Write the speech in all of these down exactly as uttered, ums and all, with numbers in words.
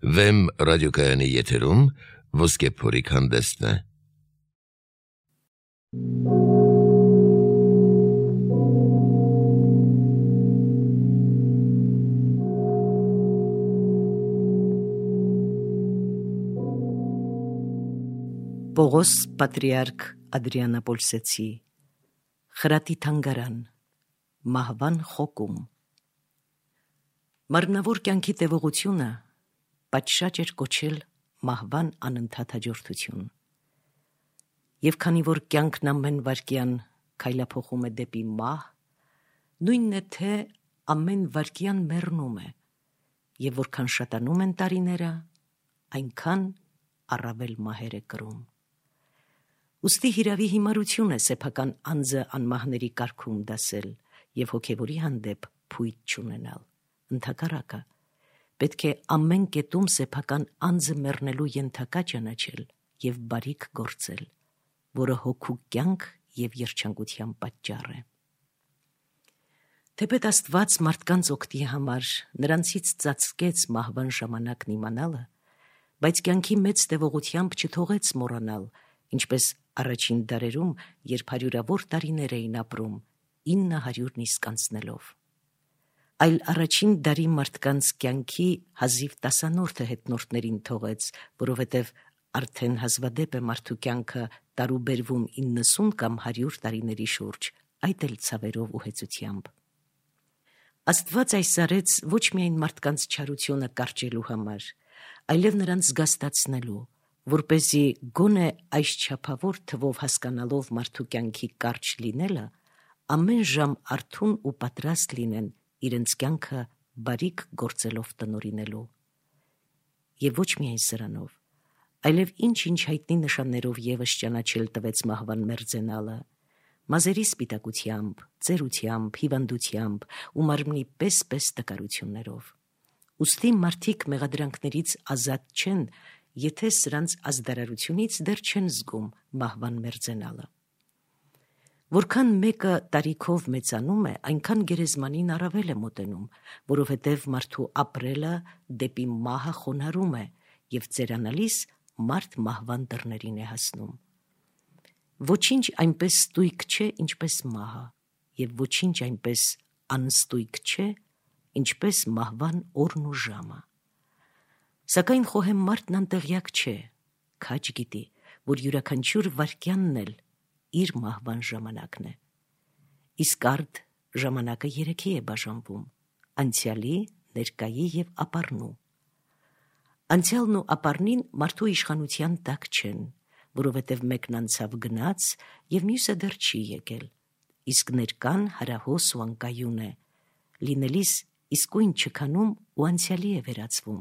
Վեմ ռադիոկայանի եթերում ոսկե փորիկ հանդեսն է։ Պողոս Պատրիարք Ադրիանապոլսեցի Խրատի թանգարան Մահվան խոկում Մարմնավոր կյանքի տևողությունը պատշաճ էր կոչել մահվան անընդհատ հաջորդություն։ Եվ քանի որ կյանքն ամեն վայրկյան քայլափոխում է դեպի մահ, նույնն է թե ամեն վայրկյան մեռնում է, եւ որքան շատանում են տարիները, այնքան առավել մահեր է կրում։ Ուստի հիրավի հիմարություն է սեփական անձը անմահների կարգում դասել եւ հոգեվորի հանդեպ փույթ չունենալ։ Ընդհակառակը, պետք է ամեն կետում սեփական անձը մեռնելու ենթակա ճանաչել եւ բարիք գործել, որը հոգու կյանք եւ երջանկության պատճառ է։ Թեպետ Աստված մարդկանց օգտի համար նրանցից ծածկեց մահվան ժամանակն իմանալը, բայց կյանքի մեծ տևողությամբ չթողեց մոռանալ, ինչպես առաջին դարերում, երբ հարյուրավոր տարիներ էին ապրում, ինը հարյուրն իսկ անցնելով։ Այլ առաջին դարի մարդկանց կյանքի հազիվ տասանորդը հետնորդներին թողեց, որովհետև արդեն հազվադեպ է մարդու կյանքը տարուբերվում իննսուն կամ հարյուր տարիների շուրջ, այդ էլ ցավերով ու հեծությամբ։ Աստված այս արեց ոչ միայն մարդկանց չարությունը կարճելու համար, այլև նրանց զգաստացնելու, որպեսզի գոնե այս չափավոր թվով հասկանալով մարդու կյանքի կարճ լինելը, ամեն ժամ արթուն ու պատրաստ լինեն իրենց կյանքը բարիք գործելով տնօրինելու։ Եվ ոչ միայն սրանով, այլև ինչ-ինչ հայտնի նշաններով ևս ճանաչել տվեց մահվան մերձենալը, մազերի սպիտակությամբ, ծերությամբ, հիվանդությամբ ու մարմնի պես-պես տկարություններով։ Ուստի մարդիկ մեղադրանքներից ազատ չեն, եթե սրանց ազդարարությունից դեռ չեն զգում մահվան մերձենալը։ Որքան մեկը տարիքով մեծանում է, այնքան գերեզմանին առավել է մոտենում, որովհետև մարդու ապրելը դեպի մահը խոնարհում է եւ ծերանալիս մարդ մահվան դռներին է հասնում։ Ոչինչ այնպես ստույգ չէ, ինչպես մահը, եւ ոչինչ այնպես անստույգ չէ, ինչպես մահվան օրն ու ժամը։ Սակայն խոհեմ մարդն անտեղյակ չէ, քաջ գիտի, որ յուրաքանչյուր վայրկյանն էլ իր մահվան ժամանակն է։ Իսկ արդ ժամանակը երեքի է բաժանվում՝ անցյալի, ներկայի եւ ապառնու։ Անցյալն ու ապառնին մարդու իշխանության տակ չեն, որովհետև մեկն անցավ գնաց եւ մյուսը դեռ չի եկել, իսկ ներկան հարահոս ու անկայուն է, լինելիս իսկույն չքանում ու անցյալի է վերածվում,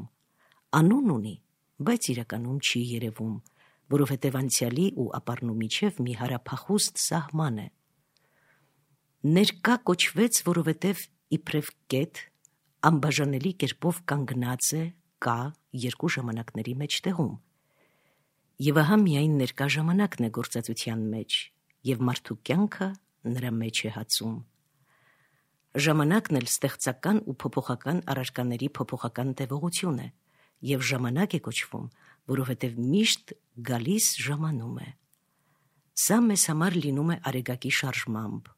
անուն ունի, բայց իրականում չի երևում, որովհետև անցյալի ու ապառնու միջև մի հարափախուստ սահման է։ Ներկա կոչվեց, որովհետև իբրև կետ անբաժանելի կերպով կանգնած է, կա երկու ժամանակների մեջտեղում։ Եվ ահա միայն ներկա ժամանակն է գործածության մեջ, եւ մարդու կյանքը նրա մեջ է հացում։ Ժամանակն էլ ստեղծական ու փոփոխական առարկաների փոփոխական տևողություն է, եւ ժամանակ է կոչվում, որովհետև միշտ գալիս ժամանում է։ Սա մեզ համար լինում է արեգակի շարժմամբ,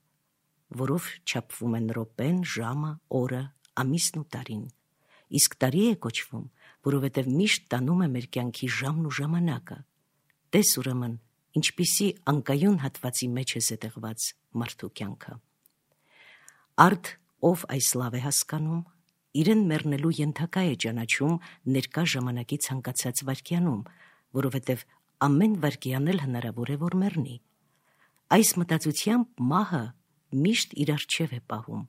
որով չափվում են րոպեն, ժամը, օրը, ամիսն ու տարին, իսկ տարի է կոչվում, որովհետև միշտ տանում է մեր կյանքի ժամն ու ժամանակը։ Տես ուրեմն, ինչպիսի անկայուն հատվածի մեջ է զետեղված մարդու կյանքը։ Արդ, ով այս լավ է հասկանում, իրեն մեռնելու ենթակա է ճանաչում ներկա ժամանակի ցանկացած վայրկյանում, որովհետև ամեն վայրկյան էլ հնարավոր է, որ մեռնի։ Այս մտածությամբ մահը միշտ իր առջև է պահում,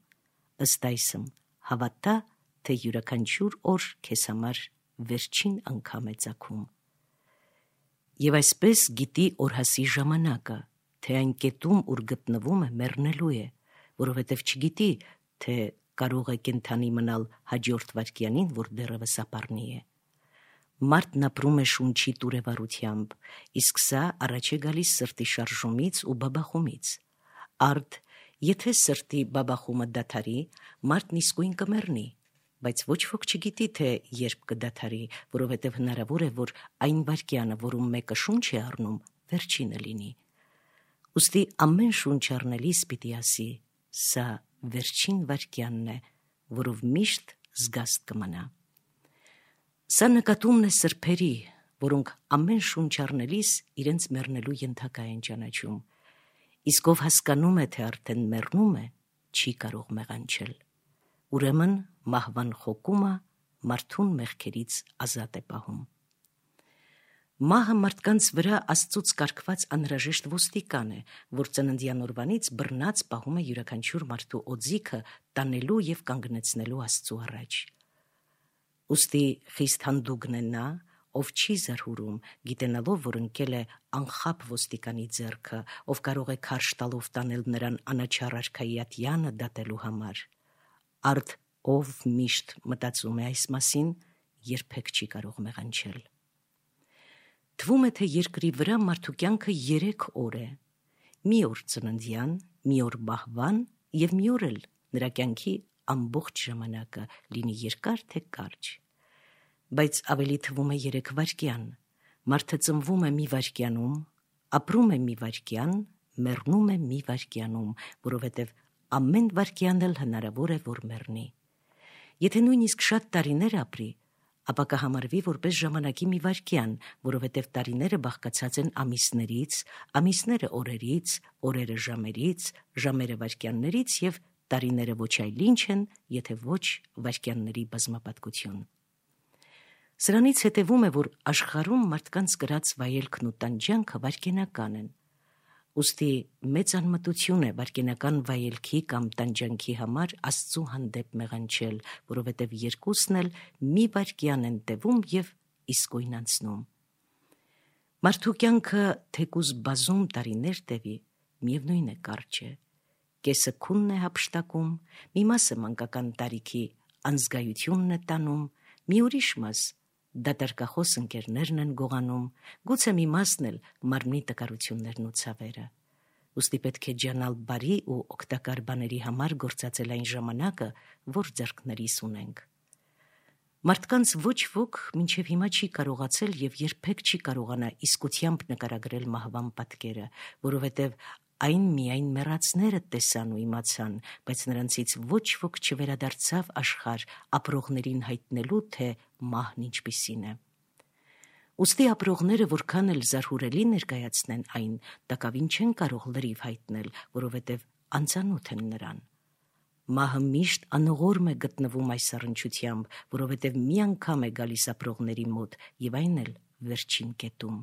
ըստ այսմ, հավատա, թե յուրաքանչյուր օր քեզ համար վերջին անգամ է ծագում։ Եվ այսպես գիտի օրհասի ժամանակը, թե այն կետում, ուր գտնվում է, մեռնելու է, որովհետև չգիտի, թե կարող է կենդանի մնալ հաջորդ վայրկյանին, որ դեռևս ապառնի է։ Մարդն ապրում է շունչի տուրևառությամբ, իսկ սա առաջ է գալիս սրտի շարժումից ու բաբախումից։ Արդ, եթե սրտի բաբախումը դադարի, մարդն իսկույն կմեռնի, բայց ոչ ոք չգիտի, թե երբ կդադարի, որովհետև հնարավոր է, որ այն վայրկյանը, որում մեկը շունչ է առնում, վերջինը լինի։ Ուստի ամեն շունչ առնելիս պիտի ասի. սա վերջին վայրկյանն է, որով միշտ զգաստ կմնա։ Սա նկատումն է սրբերի, որոնք ամեն շունչ առնելիս իրենց մեռնելու ենթակա են ճանաչում, իսկ ով հասկանում է, թե արդեն մեռնում է, չի կարող մեղանչել։ Ուրեմն մահվան խոկումը մարդուն մեղքերից ազատ է պահում։ Մահը մարդկանց վրա Աստծուց կարգված անհրաժեշտ ոստիկան է, որ ծննդյան օրվանից բռնած պահում է յուրաքանչյուր մարդու օձիքը տանելու և կանգնեցնելու Աստծու առաջ։ Ուստի խիստ հանդուգն է նա, ով չի զարհուրում, գիտենալով, որ ընկել է անխապ ոստիկանի ձեռքը, ով կարող է քարշ տալով տանել նրան անաչառ արքայի ատյանը դատելու համար։ Արդ ով միշտ մտածում է այս մասին, երբեք չի կարող մեղանչել։ Թվում է, թե երկրի վրա մարդու կյանքը երեք օր է. մի օր ծննդյան, մի օր մահվան և մի օր էլ նրա կյանքի ամբողջ ժամանակը, լինի երկար թե կարճ։ Բայց ավելի թվում է երեք վայրկյան. մարդը ծնվում է մի վայրկյանում, ապրում է մի վայրկյան, մեռնում է մի վայրկյանում, որովհետև ամեն վայրկյան էլ հնարավոր է, որ մեռնի։ Եթե նույնիսկ շատ տարիներ ապրի, ապա կհամարվի որպես ժամանակի մի վայրկյան, որովհետև տարիները բաղկացած են ամիսներից, ամիսները օրերից, օրերը ժամերից, ժամերը վայրկյաններից և տարիները ոչ այլ ինչ են, եթե ոչ վայրկյանների բազմապատկություն։ Սրանից հետևում է, որ աշխարհում մարդկանց կրած վայելքն ու տանջանքը վայրկենական են։ Ուստի մեծ անմտություն է վայրկենական վայելքի կամ տանջանքի համար Աստծու հանդեպ մեղանչել, որովհետև երկուսն էլ մի վայրկյան են տևում և իսկույն անցնում։ Մարդու կյանքը թեկուզ բազում տարիներ տևի, միևնույն է կարճ է։ Կեսը քունն է հափշտակում, մի մասը մանկական տարիքի անզգայությունն է տանում, մի ուրիշ մաս դատարկախոս ընկերներն են գողանում, գուցե մի մասն էլ մարմնի տկարություններն ու ցավերը։ Ուստի պետք է ջանալ բարի ու օգտակար բաների համար գործածել այն ժամանակը, որ ձեռքներիս ունենք։ Մարդկանց ոչ ոք մինչև հիմա չի կարողացել և երբեք չի կարողանա իսկությամբ նկարագրել մահվան պատկերը, որովհետև այն միայն մեռածները տեսան ու իմացան, բայց նրանցից ոչ ոք չվերադարձավ աշխարհ ապրողներին հայտնելու, թե մահն ինչպիսին է։ Ուստի ապրողները որքան էլ զարհուրելի ներկայացնեն այն, տակավին չեն կարող լրիվ հայտնել, որովհետև անծանոթ են նրան։ Մահը միշտ անողորմ է գտնվում այս առնչությամբ, որովհետև մի անգամ է գալիս ապրողների մոտ և այն էլ վերջին կետում։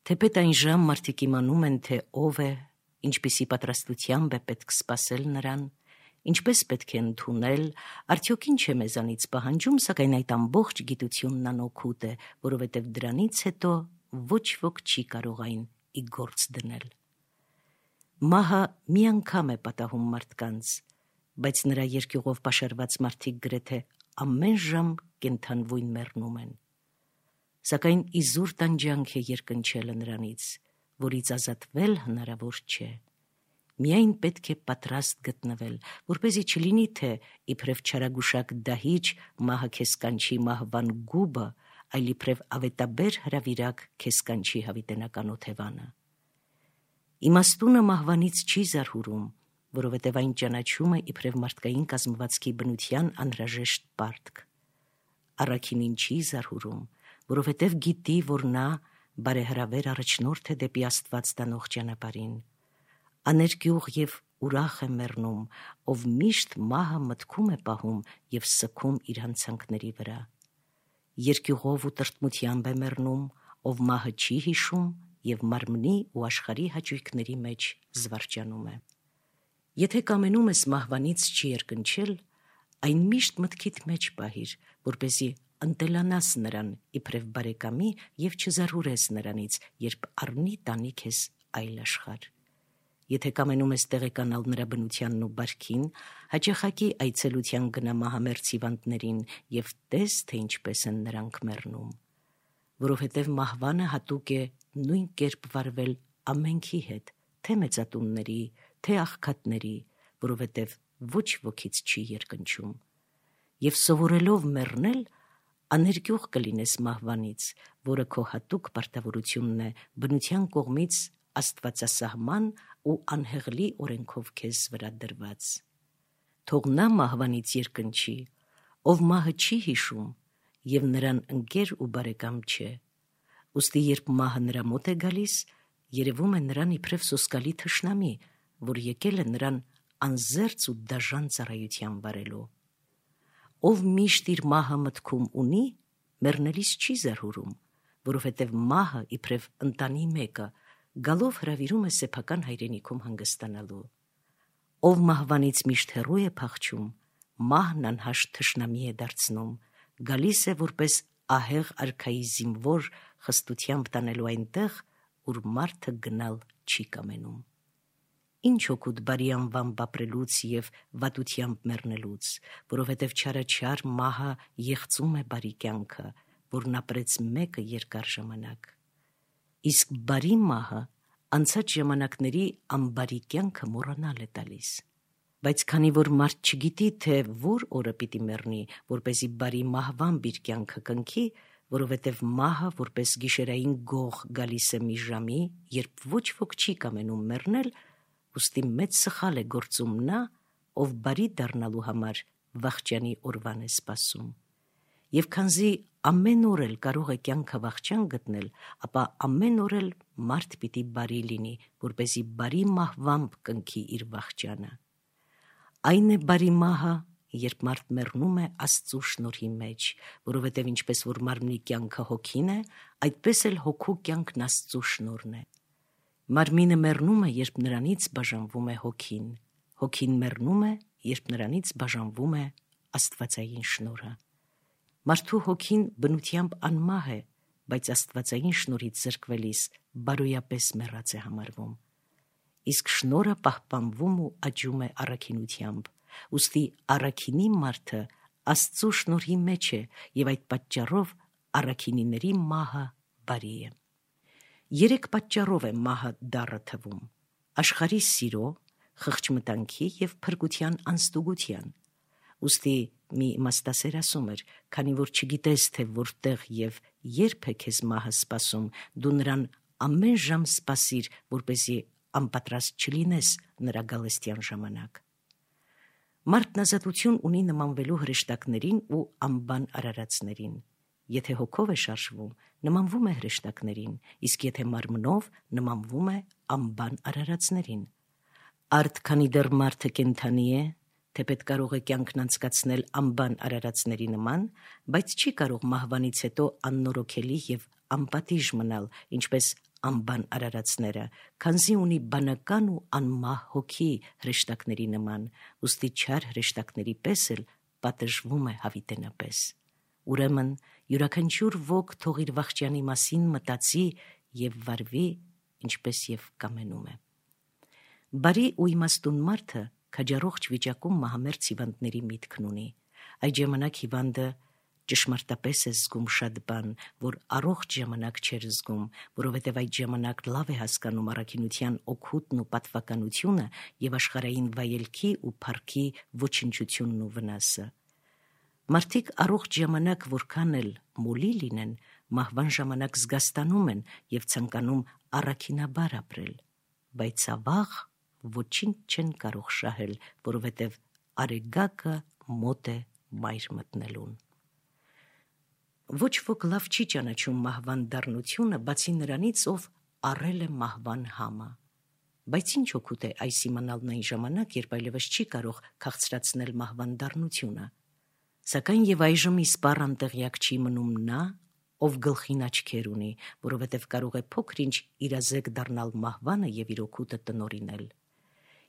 Թեպետ այն ժամ մարդիկ իմանում են, թե ով է, ինչպիսի պատրաստությամբ է պետք սպասել նրան, ինչպես պետք է ընդունել, արդյոք ինչ է մեզանից պահանջում, սակայն այդ ամբողջ գիտությունն անօգուտ է, որովհետև դրանից հետո ոչ ոք չի կարող այն ի գործ դնել։ Մահը մի անգամ է պատահում մարդկանց, բայց նրա երկյուղով պաշարված մարդիկ գրեթե ամեն ժամ կենդանվույն մեռնում են։ Սակայն իզուր տանջանք է երկնչելը նրանից, որից ազատվել հնարավոր չէ։ Միայն պետք է պատրաստ գտնվել, որպեսզի չլինի, թե իբրև չարագուշակ դահիճ մահը քեզ կանչի մահվան գուբը, այլ իբրև ավետաբեր հրավիրակ քեզ կանչի հավիտենական օթևանը։ Իմաստունը մահվանից չի զարհուրում, որովհետև այն ճանաչում է իբրև մարդկային կազմվածքի բնության անհրաժեշտ պարտք։ Առաքինին չի զարհուրում, որովհետև գիտի, որ նա բարեհրավեր առաջնորդ է դեպի Աստված տանող ճանապարհին։ Աներկյուղ և ուրախ է մեռնում, ով միշտ մահը մտքում է պահում և սգում իր հանցանքների վրա։ Երկյուղով ու տրտմությամբ է մեռնում, ով մահը չի հիշում և մարմնի ու աշխարհի հաճույքների մեջ զվարճանում է։ Եթե կամենում ես մահվանից չի երկնչել, այն միշտ մտքիդ մեջ պահիր, որպեսզի ընտելանաս նրան իբրև բարեկամի և չզարհուրես նրանից, երբ առնի տանի քեզ այլ աշխարհ։ Եթե կամենում ես տեղեկանալ նրա բնությանն ու բարքին, հաճախակի այցելության գնա մահամերձ հիվանդներին և տես, թե ինչպես են նրանք մեռնում, որովհետև մահվանը հատուկ է նույն կերպ վարվել ամենքի հետ, թե մեծատունների, թե աղքատների, որովհետև ոչ ոքից չի երկնչում։ եւ սովորելով մեռնել, աներկյուղ կլինես մահվանից, որը քո հատուկ պարտավորությունն է բնության կողմից աստվածասահման ու անհեղլի օրենքով քեզ վրա դրված։ Թող նա մահվանից երկնչի, ով մահը չի հիշում եւ նրան ընկեր ու բարեկամ չէ։ Ուստի երբ մահը նրա մոտ է գալիս, երևում է նրան իբրև սոսկալի թշնամի, որ եկել է նրան անզերծ ու դաժան ծառայության վարելու։ Ով միշտ իր մահը մտքում ունի, մեռնելիս չի զարհուրում, որովհետև մահը իբրև ընտանի մեկը գալով հրավիրում է սեփական հայրենիքում հանգստանալու։ Ով մահվանից միշտ հեռու է փախչում, մահն անհաշտ թշնամի է դարձնում, գալիս է որպես ահեղ արքայի զինվոր խստությամբ տանելու այնտեղ, ուր մարդը գնալ չի կամենում։ Ինչ օգուտ բարի անվամբ ապրելուց եւ վատությամբ մեռնելուց, որովհետև չարաչար մահը եղծում է բարի կյանքը, որն ապրեց մեկը երկար ժամանակ։ Իսկ բարի մահը անցած ժամանակների անբարի կյանքը մոռանալ է տալիս։ Բայց քանի որ մարդ չգիտի, թե որ օրը պիտի մեռնի, որպեսզի բարի մահվամբ իր կյանքը կնքի, որովհետև մահը որպես գիշերային գող գալիս է մի ժամի, երբ ոչ ոք չի կամենում մեռնել, ուստի մեծ սխալ է գործում նա, ով բարի դառնալու համար վախճանի օրվան է սպասում։ Եվ քանզի ամեն օր էլ կարող է կյանքը վախճան գտնել, ապա ամեն օր էլ մարդ պիտի բարի լինի, որպեսզի բարի մահվամբ կնքի իր վախճանը։ Այն է բարի մահը, երբ մարդ մեռնում է Աստծու շնորհի մեջ, որովհետև ինչպես որ մարմնի կյանքը հոգին է, այդպես էլ հոգու կյանքն Աստծու շնորհն է։ Մարմինը մեռնում է, երբ նրանից բաժանվում է հոգին։ Հոգին մեռնում է, երբ նրանից բաժանվում է աստվածային շնորհը։ Մարդու հոգին բնությամբ անմահ է, բայց աստվածային շնորհից զրկվելիս բարոյապես մեռած է համարվում։ Իսկ շնորհը պահպանվում ու աճում է առաքինությամբ, ուստի առաքինի մարդը Աստծու շնորհի մեջ է եւ այդ պատճառով առաքինիների մահը բարի է։ Երեք պատճառով է մահը դառը թվում. աշխարհի սիրո, խղճմտանքի եւ փրկության անստուգության։ Ուստի մի իմաստասեր ասում էր, քանի որ չգիտես, թե որտեղ եւ երբ է քեզ մահը սպասում, դու նրան ամեն ժամ սպասիր, որպեսզի անպատրաստ չլինես նրա գալստյան ժամանակ։ Մարդն ազատություն ունի նմանվելու հրեշտակներին ու անբան արարածներին։ Եթե հոգով է շարժվում, նմանվում է հրեշտակներին, իսկ եթե մարմնով, նմանվում է անբան արարածներին։ Արդ քանի դեռ մարդը կենդանի է, թեպետ կարող է կյանքն անցկացնել անբան արարածների նման, բայց չի կարող մահվանից հետո աննորոգելի եւ անպատիժ մնալ, ինչպես անբան արարածները, քանզի ունի բանական ու անմահ հոգի հրեշտակների նման, ուստի չար հրեշտակների պես էլ պատժվում է հավիտենապես։ Ուրեմն յուրաքանչյուր ոք թող իր վախճանի մասին մտածի եւ վարվի, ինչպես եւ կամենում է։ Բարի ու իմաստուն մարդը քաջառողջ վիճակում մահամերձ հիվանդների միտքն ունի։ Այդ ժամանակ հիվանդը ճշմարտապես է զգում շատ բան, որ առողջ ժամանակ չէր զգում, որովհետև այդ ժամանակ լավ է հասկանում առաքինության օգուտն ու պատվականությունը եւ աշխարհային վայելքի ու փառքի ոչնչությունն ու վնասը։ Մարդիկ առողջ ժամանակ որքան էլ մոլի լինեն, մահվան ժամանակ զգաստանում են եւ ցանկանում առաքինաբար ապրել, բայց ավաղ ոչինչ չեն կարող շահել, որովհետև արեգակը մոտ է մայր մտնելուն։ Ոչ ոք լավ չի ճանաչում մահվան դառնությունը, բացի նրանից, ով առել է մահվան համը։ Բայց ինչ օգուտ է այս իմանալն այն ժամանակ, երբ այլևս չի կարող քաղցրացնել մահվան դառնությունը։ Սակայն եւ այժմ իսպառ անտեղյակ չի մնում նա, ով գլխին աչքեր ունի, որովհետև կարող է փոքր-ինչ իրազեկ դառնալ մահվանը եւ իր օգուտը տնօրինել։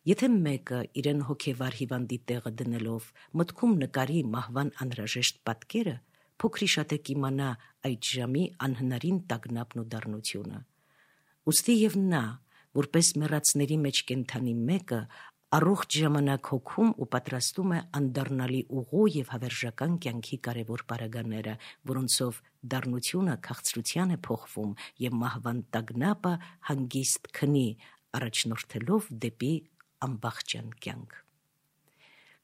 Եթե մեկը իրեն հոգեվար հիվանդի տեղը դնելով մտքում նկարի մահվան անհրաժեշտ պատկերը, փոքրիշատե կիմանա այդ ժամի անհնարին տագնապն ու դառնությունը։ Ուստի եւ նա, որպես մեռածների մեջ կենդանի մեկը, առողջ ժամանակ հոգում ու պատրաստում է անդառնալի ուղու եւ հավերժական կյանքի կարևոր պարագաները, որոնցով դառնությունը քաղցրության է փոխվում եւ մահվան տագնապը հանգիստ քնի, առաջնորդելով դեպի անբախճան կյանք։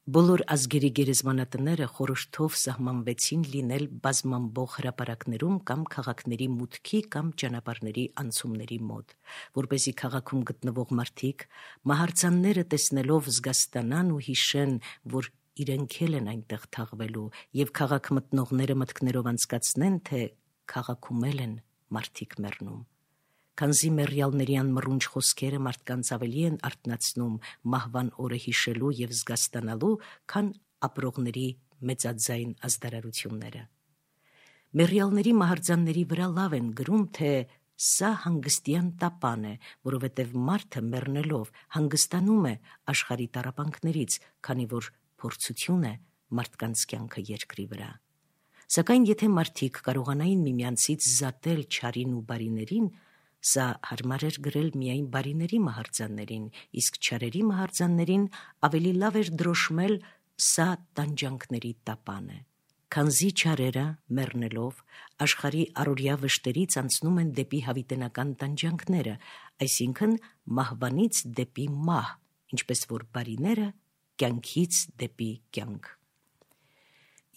Բոլոր ազգերի գերեզմանատները խորհրդով սահմանվեցին լինել բազմամբող հրապարակներում կամ քաղաքների մուտքի կամ ճանապարհների անցումների մոտ, որպեսզի քաղաքում գտնվող մարդիկ մահարձանները տեսնելով զգաստանան ու հիշեն, որ իրենք էլ են այնտեղ թաղվելու, եւ քաղաք մտնողները մտքներով անցկացնեն, թե քաղաքում էլ են մարդիկ մեռնում։ Քանզի մեռյալների անմռունչ խոսքերը մարդկանց ավելի են արթնացնում մահվան օրը հիշելու եւ զգաստանալու, քան ապրողների մեծաձայն ազդարարությունները։ Մեռյալների մահարձանների վրա լավ են գրում, թե սա հանգստյան տապան է, որովհետեւ մարդը մեռնելով հանգստանում է աշխարհի տառապանքներից, քանի որ փորձություն է մարդկանց կյանքը երկրի վրա։ Սակայն եթե մարդիկ կարողանային միմյանցից զատել չարին ու բարիներին, սա հարմար էր գրել միայն բարիների մահարձաններին, իսկ չարերի մահարձաններին ավելի լավ էր դրոշմել սա տանջանքների տապան է։ Քանզի չարերը, մեռնելով, աշխարհի առօրյա վշտերից անցնում են դեպի հավիտենական տանջանքները, այսինքն մահվանից դեպի մահ, ինչպես որ բարիները կյանքից դեպի կյանք։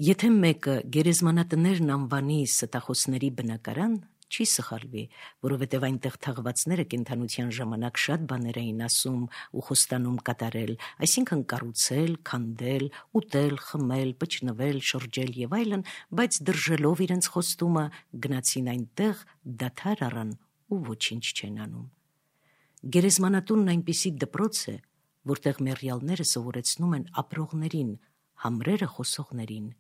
Եթե մեկը գերեզմանատներն անվանի ստախոսների բնակարան, չի սխալվի, որովհետև այնտեղ թաղվածները կենդանության ժամանակ շատ բաներ էին ասում ու խոստանում կատարել, այսինքն կառուցել, քանդել, ուտել, խմել, պճնվել, շրջել եւ այլն, բայց դրժելով իրենց խոստումը գնացին այնտեղ, դադար առան ու ոչինչ չեն անում։ Գերեզմանատունն այնպիսի դպրոց է, որտեղ մեռյալները սովորեցնում են ապրողներին, համրերը խոսողներին։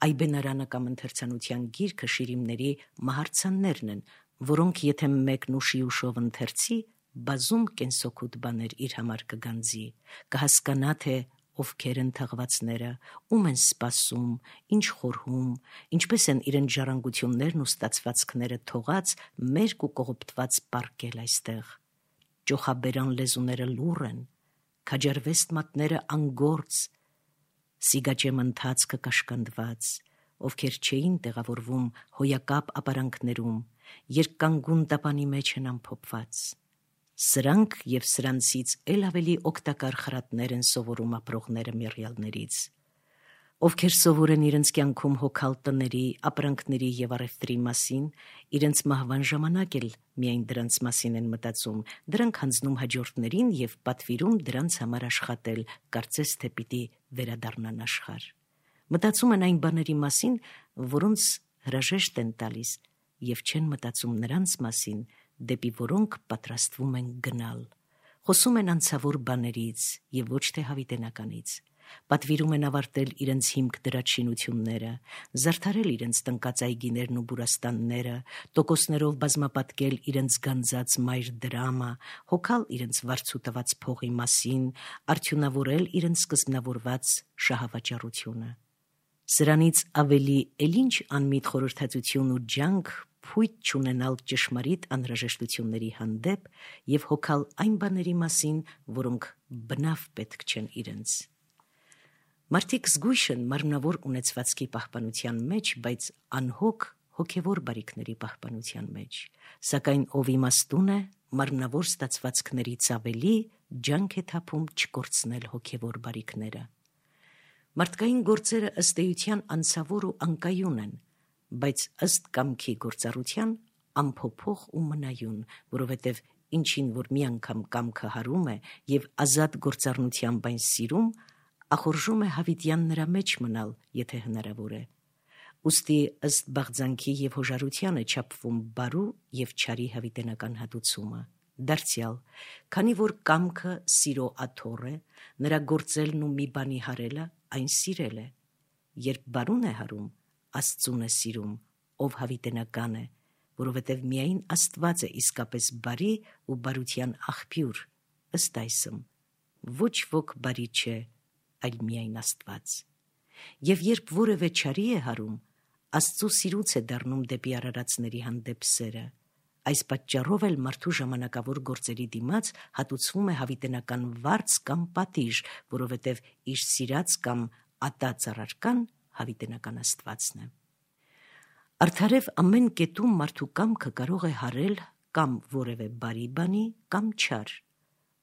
Այբենարանը կամ ընթերցանության գիրքը շիրիմների մահարձաններն են, որոնք եթե մեկն ուշի ուշով ընթերցի, բազում կենսօգուտ բաներ իր համար կգանձի, կհասկանա, թե ովքեր են թաղվածները, ում են սպասում, ինչ խորհում, ինչպես են իրենց ժառանգություններն ու ստացվածքները թողած, մերկ ու կողոպտված պառկել այստեղ։ Ճոխաբերան լեզուները լուռ են, քաջարվեստ մատները անգործ, սիգաճեմ ընթացքը կաշկանդված, ովքեր չէին տեղավորվում հոյակապ ապարանքներում, երկկանգուն տապանի մեջ են ամփոփված։ Սրանք եւ սրանցից էլ ավելի օգտակար խրատներ են սովորում ապրողները մեռյալներից, ովքեր սովոր են իրենց կյանքում հոգալ տների, ապրանքների եւ առևտրի մասին, իրենց մահվան ժամանակ էլ միայն դրանց մասին են մտածում, դրանք հանձնում հաջորդներին եւ պատվիրում դրանց համար աշխատել, կարծես թե պիտի վերադառնան աշխարհ։ Մտածում են այն բաների մասին, որոնց հրաժեշտ են տալիս, եւ չեն մտածում նրանց մասին, դեպի որոնք պատրաստվում են գնալ։ Խոսում են անցավոր բաներից եւ ոչ թե հավիտենականից։ Պատվիրում են ավարտել իրենց հիմք դրած շինությունները, զարդարել իրենց տնկած այգիներն ու բուրաստանները, տոկոսներով բազմապատկել իրենց գանձած մայր դրամը, հոգալ իրենց վարձու տված փողի մասին, արդյունավորել իրենց սկզբնավորված շահավաճառությունը։ Սրանից ավելի էլ ինչ անմիտ խորհրդածություն ու ջանք փույթ չունենալ ճշմարիտ անհրաժեշտությունների հանդեպ եւ հոգալ այն բաների մասին, որոնք բնավ պետք չեն իրենց։ Մարդիկ զգույշ են մարմնավոր ունեցվածքի պահպանության մեջ, բայց անհոգ հոգևոր բարիքների պահպանության մեջ, սակայն ով իմաստուն է, մարմնավոր ստացվածքներից ավելի ջանք է թափում չկորցնել հոգևոր բարիքները։ Մարդկային գործերը ըստ էության անցավոր ու անկայուն են, բայց ըստ կամքի գործառության անփոփոխ ու մնայուն, որովհետև ինչին որ մի անգամ կամքը հարում է եւ ազատ գործառնությամբ այն սիրում, ախորժում է հավիտյան նրա մեջ մնալ, եթե հնարավոր է։ Ուստի ըստ բաղձանքի եւ հոժարության է չափվում բարու եւ չարի հավիտենական հատուցումը։ Դարձյալ, քանի որ կամքը սիրո աթոռ է, նրա գործելն ու մի բանի հարելը այն սիրել է։ Երբ բարուն է հարում, Աստծուն է սիրում, ով հավիտենական է, որովհետև միայն Աստված է իսկապես բարի ու բարության աղբյուր, ըստ այսմ, ոչ ոք բարի չէ, այլ միայն Աստված։ Եվ երբ որևէ չարի է հարում, Աստծու սիրուց է դառնում դեպի արարածների հանդեպ սերը։ Այս պատճառով էլ մարդու ժամանակավոր գործերի դիմաց հատուցվում է հավիտենական վարձ կամ պատիժ, որովհետև իր սիրած կամ ատած առարկան հավիտենական Աստվածն է։ Արդարև ամեն կետում մարդու կամքը կարող է հարել կամ որևէ բարի բանի, կամ չար,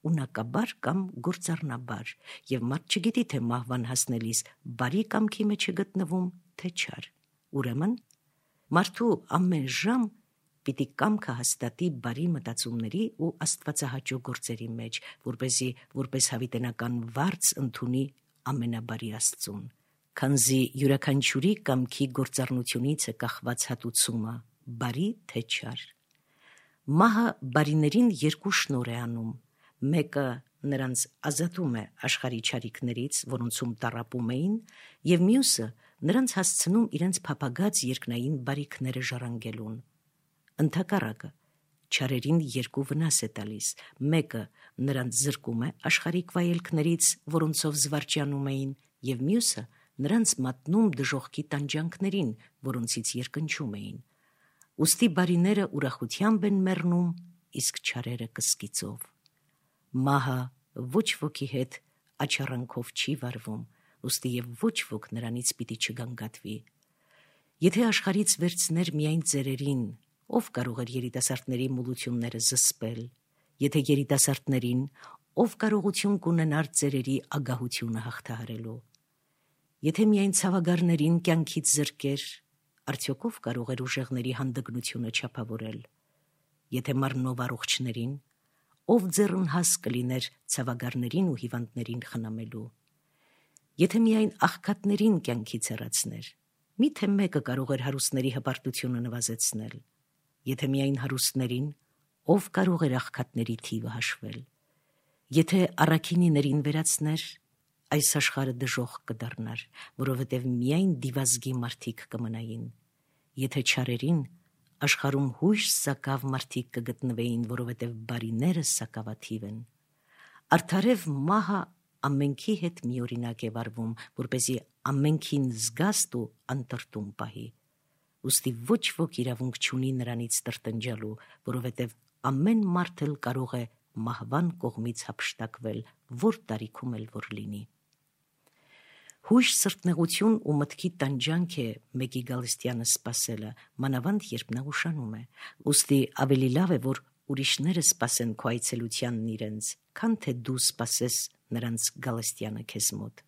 ունակաբար կամ գործառնաբար, եւ մարդ չգիտի թե մահվան հասնելիս բարի կամքի մեջ է գտնվում, թե չար։ Ուրեմն մարդու ամեն ժամ պիտի կամքը հաստատի բարի մտածումների ու աստվածահաճո գործերի մեջ, որպեսզի որպես հավիտենական վարձ ընդունի ամենաբարի Աստծուն, քանզի յուրաքանչյուրի կամքի գործառնությունից է կախված հատուցումը, բարի թե չար։ Մահը բարիներին երկու շնոր է անում, մեկը նրանց ազատում է աշխարհի չարիքներից, որոնցում տառապում էին, եւ մյուսը նրանց հասցնում իրենց փափագած երկնային բարիքները ժառանգելուն։ Ընդհակառակը չարերին երկու վնաս է տալիս, մեկը նրանց զրկում է աշխարհիկ վայելքներից, որոնցով զվարճանում էին, եւ մյուսը նրանց մատնում դժոխքի տանջանքներին, որոնցից երկնչում էին։ Ուստի բարիները ուրախությամբ են մեռնում, իսկ չարերը կսկիծով։ Մահը ոչ ոքի հետ աչառանքով չի վարվում, ուստի եւ ոչ ոք նրանից պիտի չգանգատվի։ Եթե աշխարհից վերցներ միայն ծերերին, ով կարող էր երիտասարդների մոլությունները զսպել, եթե երիտասարդներին, ով կարողություն կունենար ծերերի ագահությունը հաղթահարելու։ Եթե միայն ցավագարներին կյանքից զրկեր, արդյոք ով կարող էր ուժեղների հանդգնությունը չափավորել։ Եթե մառնով առողջներին, ով ձեռնհաս կլիներ ցավագարներին ու հիվանդներին խնամելու։ Եթե միայն աղքատներին կյանքից հեռացներ, միթե մեկը կարող էր հարուստների հպարտությունը նվազեցնել։ Եթե միայն հարուստներին, ով կարող էր աղքատների թիվը հաշվել։ Եթե առաքինիներին վերացներ, այս աշխարհը դժոխք կդառնար, որովհետև միայն դիվազգի մարդիկ կմնային։ Եթե չարերին, աշխարհում հույժ սակավ մարդիկ կգտնվեին, որովհետև բարիները սակավաթիվ են։ Արդարև մահը ամենքի հետ միօրինակ է վարվում, որպեսզի ամենքին զգաստ ու անտրտում պահի։ Ուստի ոչ ոք իրավունք չունի նրանից տրտնջալու, որովհետև ամեն մարդ էլ կարող է մահվան կողմից հափշտակվել, որ տարիքում էլ որ լինի։ Հույժ սրտնեղություն ու մտքի տանջանք է մեկի գալստյանը սпасելը, մանավանդ երբ նա ուշանում է, ուստի ավելի լավ է, որ ուրիշները սпасեն քո այցելությանն իրենց, քան թե դու սпасես նրանց գալստյանը քեզ մոտ։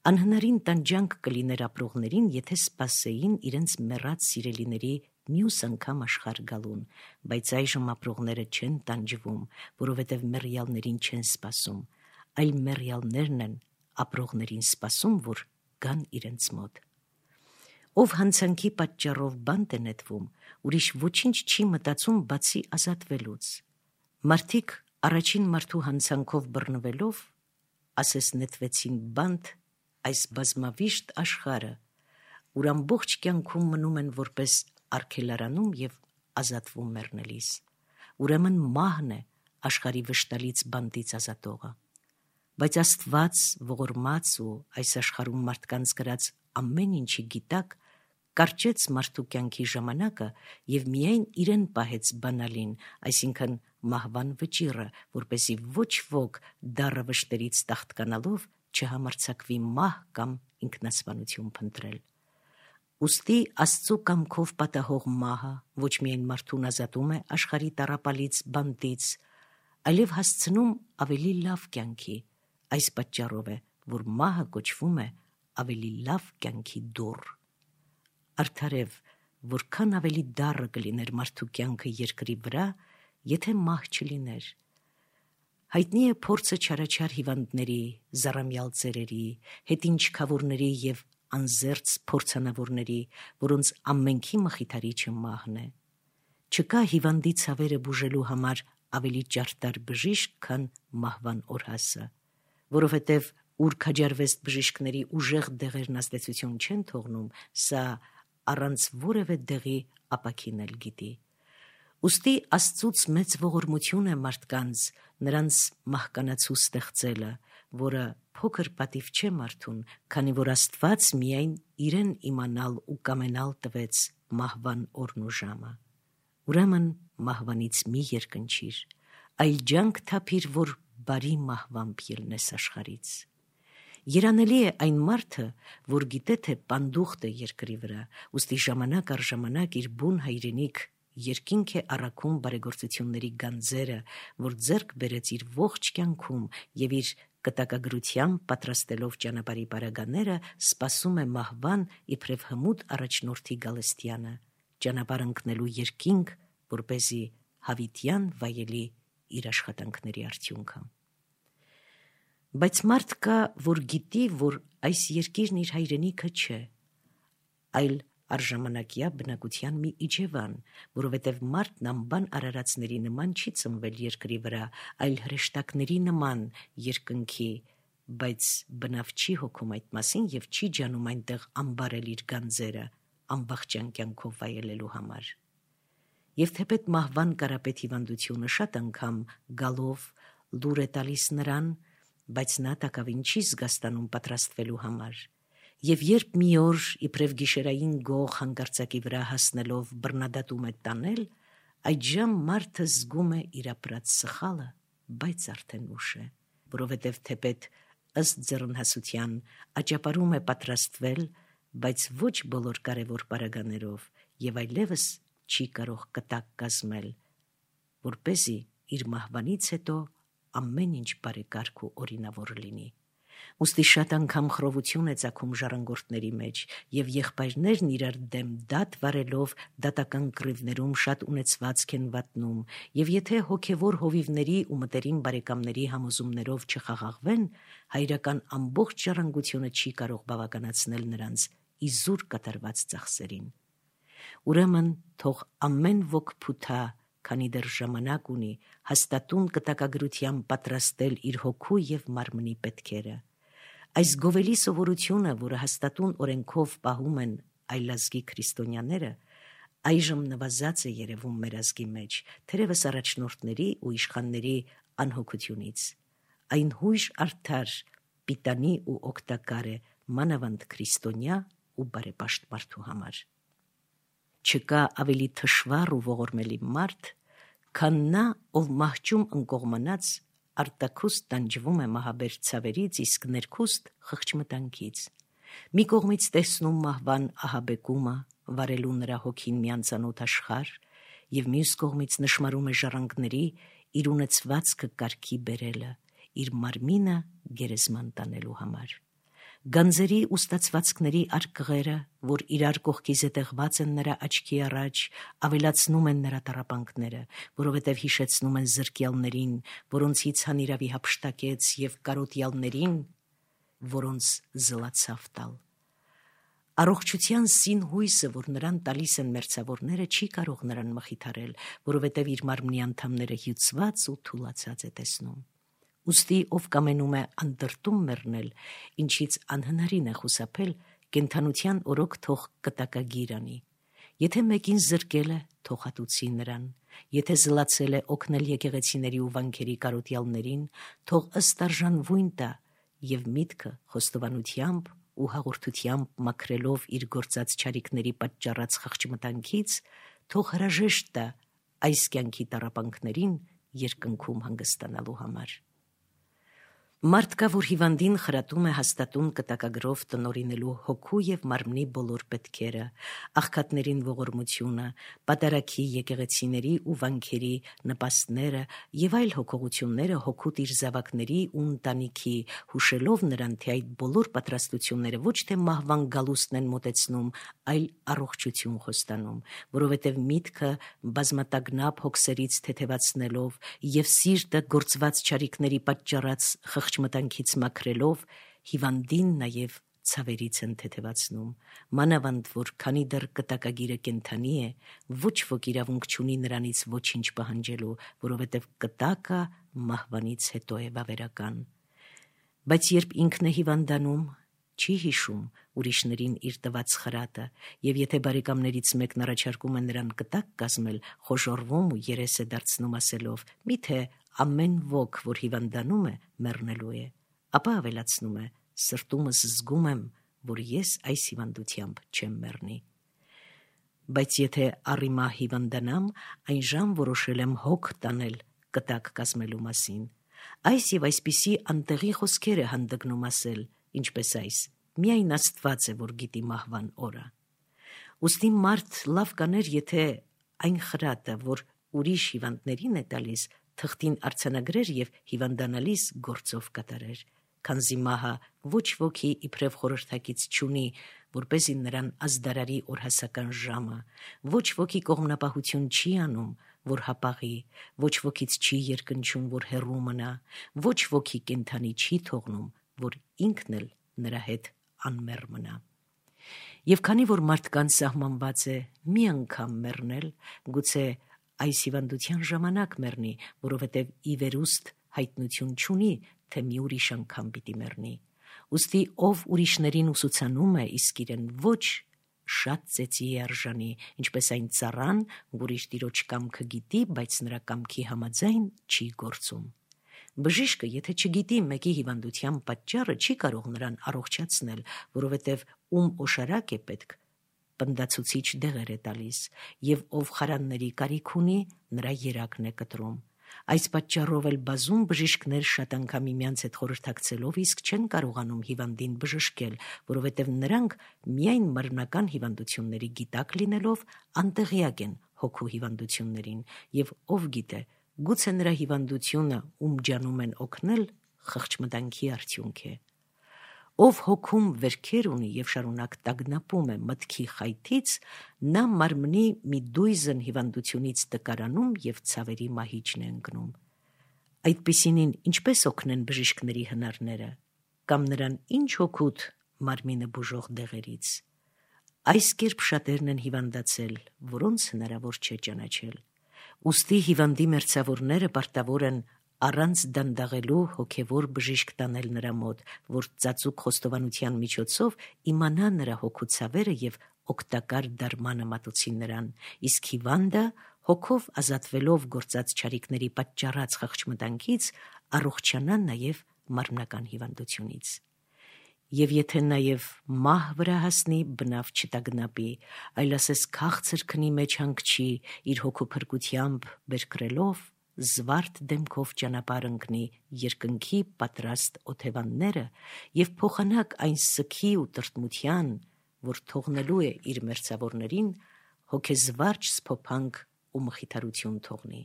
Անհնարին տանջանք կլիներ ապրողներին, եթե սпасեին իրենց մեռած սիրելիների մյուս անգամ աշխարհ գալուն, բայց այժմ ապրողները չեն տանջվում, որովհետև մեռյալներին չեն սпасում, այլ մեռյալներն են ապրողներին սпасում, որ գան իրենց մոտ։ Ով հանցանքի պատճառով բանտ է նետվում, ուրիշ ոչինչ չի մտածում բացի ազատվելուց։ Մարդիկ առաջին մարդու հանցանքով բռնվելով, ասես նետվեցին բանտ այս բազմավիշտ աշխարհը, ուր ամբողջ կյանքում մնում են որպես արգելարանում եւ ազատվում մեռնելիս։ Ուրեմն մահն է աշխարհի վշտալից բանտից ազատողը։ Բայց Աստված ողորմած ու այս աշխարհում մարդկանց գրած ամեն ինչի գիտակ կարճեց մարդու կյանքի ժամանակը եւ միայն իրեն պահեց բանալին, այսինքն մահվան վճիռը, որպեսզի ոչ ոք դառը վշտերից տախտկանալով չհամարձակվի մահ կամ ինքնասպանություն փնտրել։ Ուստի Աստծու կամքով պատահող մահը ոչ միայն մարդուն ազատում է աշխարհի տառապալից բանտից, այլև հասցնում ավելի լավ կյանքի։ Այս պատճառով է, որ մահը կոչվում է ավելի լավ կյանքի դուռ։ Արդարև, որքան ավելի դառը կլիներ մարդու կյանքը երկրի վրա, եթե մահ չլիներ։ Հայտնի է փորձը չարաչար հիվանդների, զառամյալ ծերերի, հետինչքավորների եւ անզերծ փորձանավորների, որոնց ամենքի մխիթարիչը մահն է։ Չկա հիվանդի ցավերը բուժելու համար ավելի ճարտար բժիշկ, քան մահվան օրհասը, որովհետև ուր քաջարվեստ բժիշկների ուժեղ դեղերն ազդեցություն չեն թողնում, սա առանց որևէ դեղի ապաքինել գիտի։ Ուստի Աստծուց մեծ ողորմություն է մարդկանց նրանց մահկանացու ստեղծելը, որը փոքր պատիվ չէ մարդուն, քանի որ Աստված միայն իրեն իմանալ ու կամենալ տվեց մահվան օրն ու ժամը։ Ուրեմն մահվանից մի երկնչիր, այլ ջանք թափիր, որ բարի մահվամբ ելնես աշխարից։ Երանելի է այն մարդը, որ գիտե թե պանդուխտ է երկրի վրա, ուստի ժամանակ առ ժամանակ իր բուն հայրենիք երկինք է առաքում բարեգործությունների գանձերը, որ ձեռք բերեց իր ողջ կյանքում եւ իր կտակագրությամբ պատրաստելով ճանապարհի պարագաները, սպասում է մահվան իբրև հմուտ առաջնորդի գալստյանը, ճանապարհ ընկնելու երկինք, որպեսզի հավիտյան վայելի իր աշխատանքների արդյունքը։ Բայց մարդ կա, որ գիտի, որ այս երկիրն իր հայրենիքը չէ, այլ արժամանակյա բնակության մի իջևան, որովհետև մարդն անբան արարածների նման չի ծնվել երկրի վրա, այլ հրեշտակների նման երկնքի, բայց բնավ չի հոգում այդ մասին եւ չի ջանում այնտեղ անբարել իր գանձերը, անվախճան կյանքով վայելելու համար։ Եվ թեպետ մահվան կարապետ հիվանդությունը շատ անգամ գալով լուր է տալիս նրան, բայց նա տակավին չի զգաստանում պատրաստվելու համար։ Եվ երբ մի օր իբրև գիշերային գող հանկարծակի վրա հասնելով բռնադատում է տանել, այդժամ մարդը զգում է իր ապրած սխալը, բայց արդեն ուշ է, որովհետև թեպետ ըստ ձեռնհասության աճապարում է պատրաստվել, բայց ոչ բոլոր կարևոր պարագաներով եւ այլևս չի կարող կտակ կազմել, որպեսզի իր մահվանից հետո ամեն ինչ բարեկարգ ու օրինավոր լինի։ Ուստի շատ անգամ խռովություն է ծագում ժառանգորդների մեջ, եւ եղբայրներն իրար դեմ դատ վարելով դատական կռիվներում շատ ունեցվածք են վատնում, եւ եթե հոգեվոր հովիվների ու մտերիմ բարեկամների համոզումներով չխաղաղվեն, հայրական ամբողջ ժառանգությունը չի կարող բավականացնել նրանց իզուր կատարված ծախսերին։ Ուրեմն թող ամեն ոք փութա, քանի դեռ ժամանակ ունի, հաստատուն կտակագրությամբ պատրաստել իր հոգու եւ մարմնի պետքերը։ Այս գովելի սովորությունը, որը հաստատուն օրենքով պահում են այլազգի քրիստոնյաները, այժմ նվազած է երևում մեր ազգի մեջ, թերևս առաջնորդների ու իշխանների անհոգությունից։ Այն հույժ արդար, պիտանի ու օգտակար է մանավանդ քրիստոնյա ու բարեպաշտ մարդու համար։ Չկա ավելի թշվառ ու ողորմելի մարդ, քան նա, ով մահճում ընկողմանած արտաքուստ տանջվում է մահաբեր ցավերից, իսկ ներքուստ խղճմտանքից։ Մի կողմից տեսնում մահվան ահաբեկումը, վարելու նրա հոգին մի անծանոթ աշխարհ, եւ մյուս կողմից նշմարում է ժառանգների իր ունեցվածքը կարգի բերելը, իր մարմինը գերեզման տանելու համար։ Գանձերի ու ստացվածքների արկղերը, որ իրար կողքի զետեղված են նրա աչքի առաջ, ավելացնում են նրա տառապանքները, որովհետև հիշեցնում են զրկյալներին, որոնցից հանիրավի հափշտակեց, եւ կարոտյալներին, որոնց զլացավ տալ։ Առողջության սին հույսը, որ նրան տալիս են մերձավորները, չի կարող նրան մխիթարել, որովհետև իր մարմնի անդամները հյուծված ու թուլացած է տեսնում։ Ուստի ով կամենում է անդրտում մեռնել, ինչից անհնարին է խուսափել, կենդանության օրոք թող կտակագիր անի։ Եթե մեկին զրկել է, թող հատուցի նրան, եթե զլացել է օգնել եկեղեցիների ու վանքերի կարոտյալներին, թող ըստ արժանվույն տա եւ միտքը խոստովանությամբ ու հաղորդությամբ մաքրելով իր գործած չարիքների պատճառած խղճմտանքից, թող հրաժեշտ տա այս կյանքի տառապանքներին երկնքում հանգստանալու համար։ Մարդ կա, որ հիվանդին խրատում է հաստատուն կտակագրով տնօրինելու հոգու եւ մարմնի բոլոր պետքերը, աղքատներին ողորմությունը, պատարագի եկեղեցիների ու վանքերի նպաստները եւ այլ հոգողությունները հոգուտ իր զավակների ու ընտանիքի, հուշելով նրան, թե այդ բոլոր պատրաստությունները ոչ թե մահվան գալուստն են մոտեցնում, այլ առողջություն խոստանում, որովհետև միտքը բազմատագնապ հոգսերից թեթևացնելով եւ սիրտը գործված չարիքների պատճառած խղճմտանքից մաքրելով, հիվանդին նաև ցավերից են թեթևացնում, մանավանդ որ քանի դեռ կտակագիրը կենդանի է, ոչ ոք իրավունք չունի նրանից ոչինչ պահանջելու, որովհետև կտակը մահվանից հետո է վավերական։ Բայց երբ ինքն է հիվանդանում, չի հիշում ուրիշներին իր տված խրատը, եւ եթե բարեկամներից մեկն առաջարկում է նրան կտակ կազմել, խոժոռվում ու երես է դարձնում ասելով. «Միթե ամեն ոք, որ հիվանդանում է, մեռնելու է», ապա ավելացնում է. «Սրտումս զգում եմ, որ ես այս հիվանդությամբ չեմ մեռնի։ Բայց եթե առիմա հիվանդանամ, այն ժամ որոշել եմ հոգ տանել կտակ կազմելու մասին»։ Այս եւ այսպիսի անտեղի խոսքեր է հանդգնում ասել, ինչպես այս. «Միայն Աստված է, որ գիտի մահվան օրը»։ Ուստի մարդ լավ կաներ, եթե այն խրատը, որ ուրիշ հիվանդներին է տալիս, թղթին արձանագրեր և հիվանդանալիս գործով կատարեր, քանզի մահը ոչ ոքի իբրև խորհրդակից չունի, որպեսզի նրան ազդարարի օրհասական ժամը, ոչ ոքի կողմնապահություն չի անում, որ հապաղի, ոչ ոքից չի երկնչում, որ հեռու մնա, ոչ ոքի կենդանի չի թողնում, որ ինքն էլ նրա հետ անմեռ մնա։ Եվ քանի որ մարդկանց սահմանված է մի անգամ մեռնել, գուցե այս հիվանդության ժամանակ մեռնի, որովհետև ի վերուստ հայտնություն չունի, թե մի ուրիշ անգամ պիտի մեռնի։ Ուստի ով ուրիշներին ուսուցանում է, իսկ իրեն ոչ, շատ ծեծի է արժանի, ինչպես այն ծառան, որ իր տիրոջ կամքը գիտի, բայց նրա կամքի համաձայն չի գործում։ Բժիշկը, եթե չգիտի մեկի հիվանդության պատճառը, չի կարող նրան առողջացնել, որովհետև ում օշարակ է պետք, պնդացուցիչ դեղեր է տալիս, և ով խարանների կարիք ունի, նրա երակն է կտրում։ Այս պատճառով էլ բազում բժիշկներ շատ անգամ միմյանց հետ խորհրդակցելով իսկ չեն կարողանում հիվանդին բժշկել, որովհետև նրանք միայն մարմնական հիվանդությունների գիտակ լինելով անտեղյակ են հոգու հիվանդություններին, և ով գիտե, գուցե նրա հիվանդությունը, ում ջանում են օգնել, խղճմտանքի արդյունք է։ Ով հոգում վերքեր ունի և շարունակ տագնապում է մտքի խայթից, նա մարմնի մի դույզն հիվանդությունից տկարանում և ցավերի մահիճն է ընկնում։ Այդպիսինին ինչպես օգնեն բժիշկների հնարները, կամ նրան ինչ օգուտ մարմինը բուժող դեղերից։ Այս կերպ շատերն են հիվանդացել, որոնց հնարավոր չէ ճանաչել։ Ուստի հիվանդի մերձավորները պարտավոր են առանց դանդաղելու հոգևոր բժիշկ տանել նրա մոտ, որ ծածուկ խոստովանության միջոցով իմանա նրա հոգու ցավերը և օգտակար դարմանը մատուցի նրան, իսկ հիվանդը հոգով ազատվելով գործած չարիքների պատճառած խղճմտանքից առողջանա նաև մարմնական հիվանդությունից։ Եվ եթե նաև մահ վրա հասնի, բնավ չտագնապի, այլ ասես քաղցր քնի մեջ հանգչի, իր հոգու փրկությամբ բերկրելով, զվարթ դեմքով ճանապարհ ընկնի երկնքի պատրաստ օթևանները և փոխանակ այն սգի ու տրտմության, որ թողնելու է իր մերձավորներին, հոգեզվարճ սփոփանք ու մխիթարություն թողնի։